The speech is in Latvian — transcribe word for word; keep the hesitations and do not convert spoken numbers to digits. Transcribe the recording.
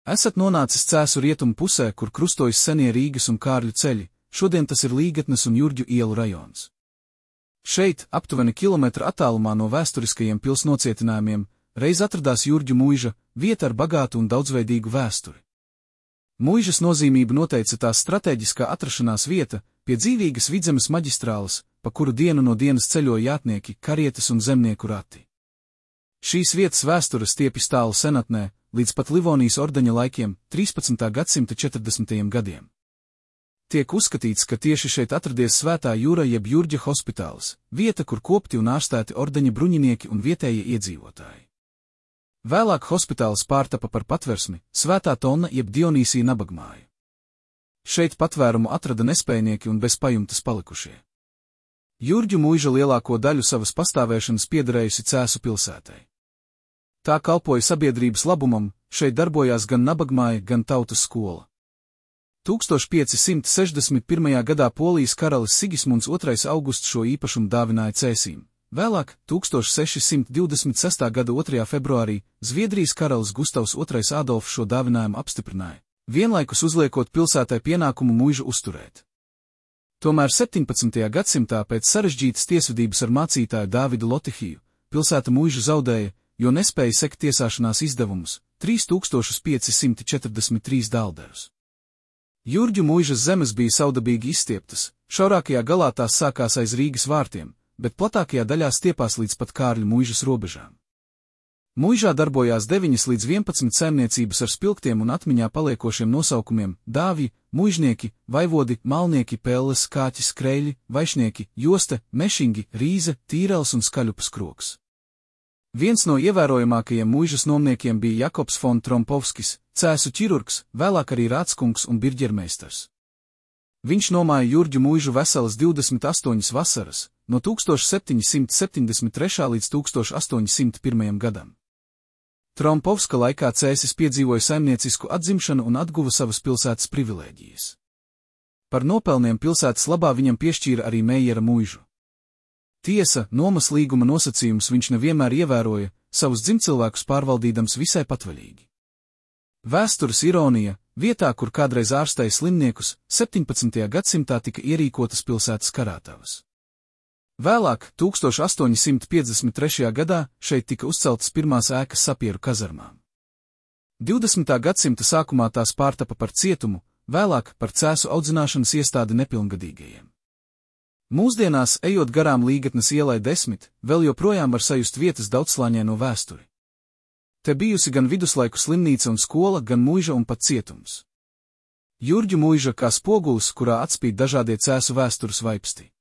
Esat nonācis Cēsu rietumu pusē, kur krustojas senie Rīgas un Kārļu ceļi, šodien tas ir Līgatnes un Jurģu ielu rajons. Šeit, aptuveni kilometra attālumā no vēsturiskajiem pils nocietinājumiem, reiz atradās Jurģu muiža, vieta ar bagātu un daudzveidīgu vēsturi. Muižas nozīmību noteica tās stratēģiskā atrašanās vieta, pie dzīvīgas Vidzemes maģistrāles, pa kuru dienu no dienas ceļoja jātnieki, karietes un zemnieku rati. Šīs vietas vēsture stiepjas tālu senatnē, līdz pat Livonijas ordeņa laikiem, trīspadsmitā gadsimta četrdesmitajiem gadiem. Tiek uzskatīts, ka tieši šeit atradies Svētā Jūra jeb Jurģa hospitāls, vieta, kur kopti un ārstēti ordeņa bruņinieki un vietējie iedzīvotāji. Vēlāk hospitāls pārtapa par patversmi, Svētā Tonna jeb Dionīsija nabagmāju. Šeit patvērumu atrada nespējnieki un bez pajumtes palikušie. Jurģu muiža lielāko daļu savas pastāvēšanas piederējusi Cēsu pilsētai. Tā kalpoja sabiedrības labumam, šeit darbojās gan nabagmāja, gan tautas skola. tūkstoš pieci simti sešdesmit pirmajā gadā Polijas karalis Sigismunds otrais augusts šo īpašumu dāvināja Cēsīm. Vēlāk, tūkstoš seši simti divdesmit sestā gada otrajā februārī, Zviedrijas karalis Gustavs otrais Ādolfs šo dāvinājumu apstiprināja, vienlaikus uzliekot pilsētai pienākumu muižu uzturēt. Tomēr septiņpadsmitajā gadsimtā pēc sarežģītas tiesvedības ar mācītāju Dāvidu Lotihiju, pilsēta muižu zaudēja, jo nespēja sekt tiesāšanās izdevumus, trīs tūkstoši pieci simti četrdesmit trīs daldarus. Jurģu muižas zemes bija saudabīgi izstieptas, šaurākajā galā tās sākās aiz Rīgas vārtiem, bet platākajā daļā stiepās līdz pat Kārļu muižas robežām. Muižā darbojās deviņas līdz vienpadsmit saimniecības ar spilgtiem un atmiņā paliekošiem nosaukumiem – dāvji, muižnieki, vaivodi, malnieki, pelles, kāķis, kreļi, vaišnieki, joste, mešingi, rīze, tīrels un skaļupas kroks. Viens no ievērojamākajiem muižas nomniekiem bija Jakobs fon Trompovskis, Cēsu ķirurgs, vēlāk arī rādskungs un birģermeistars. Viņš nomāja Jurģu muižu veselas divdesmit astoņas vasaras, no tūkstoš septiņi simti septiņdesmit trešā līdz tūkstoš astoņi simti pirmajam gadam. Trompovska laikā Cēsis piedzīvoja saimniecisku atzimšanu un atguva savas pilsētas privilēģijas. Par nopelniem pilsētas labā viņam piešķīra arī Meijera muižu. Tiesa, nomas līguma nosacījumus viņš nevienmēr ievēroja, savus dzimtcilvēkus pārvaldīdams visai patvaļīgi. Vēstures ironija, vietā, kur kādreiz ārstēja slimniekus, septiņpadsmitajā gadsimtā tika ierīkotas pilsētas karātavas. Vēlāk, tūkstoš astoņi simti piecdesmit trešajā gadā, šeit tika uzceltas pirmās ēkas sapieru kazarmām. divdesmitā gadsimta sākumā tās pārtapa par cietumu, vēlāk par Cēsu audzināšanas iestādi nepilngadīgajiem. Mūsdienās, ejot garām Līgatnes ielai desmit, vēl joprojām var sajust vietas daudzslāņaino vēsturi. Te bijusi gan viduslaiku slimnīca un skola, gan muiža un pat cietums. Jurģu muiža kā spogulis, kurā atspīd dažādie Cēsu vēstures vaipsti.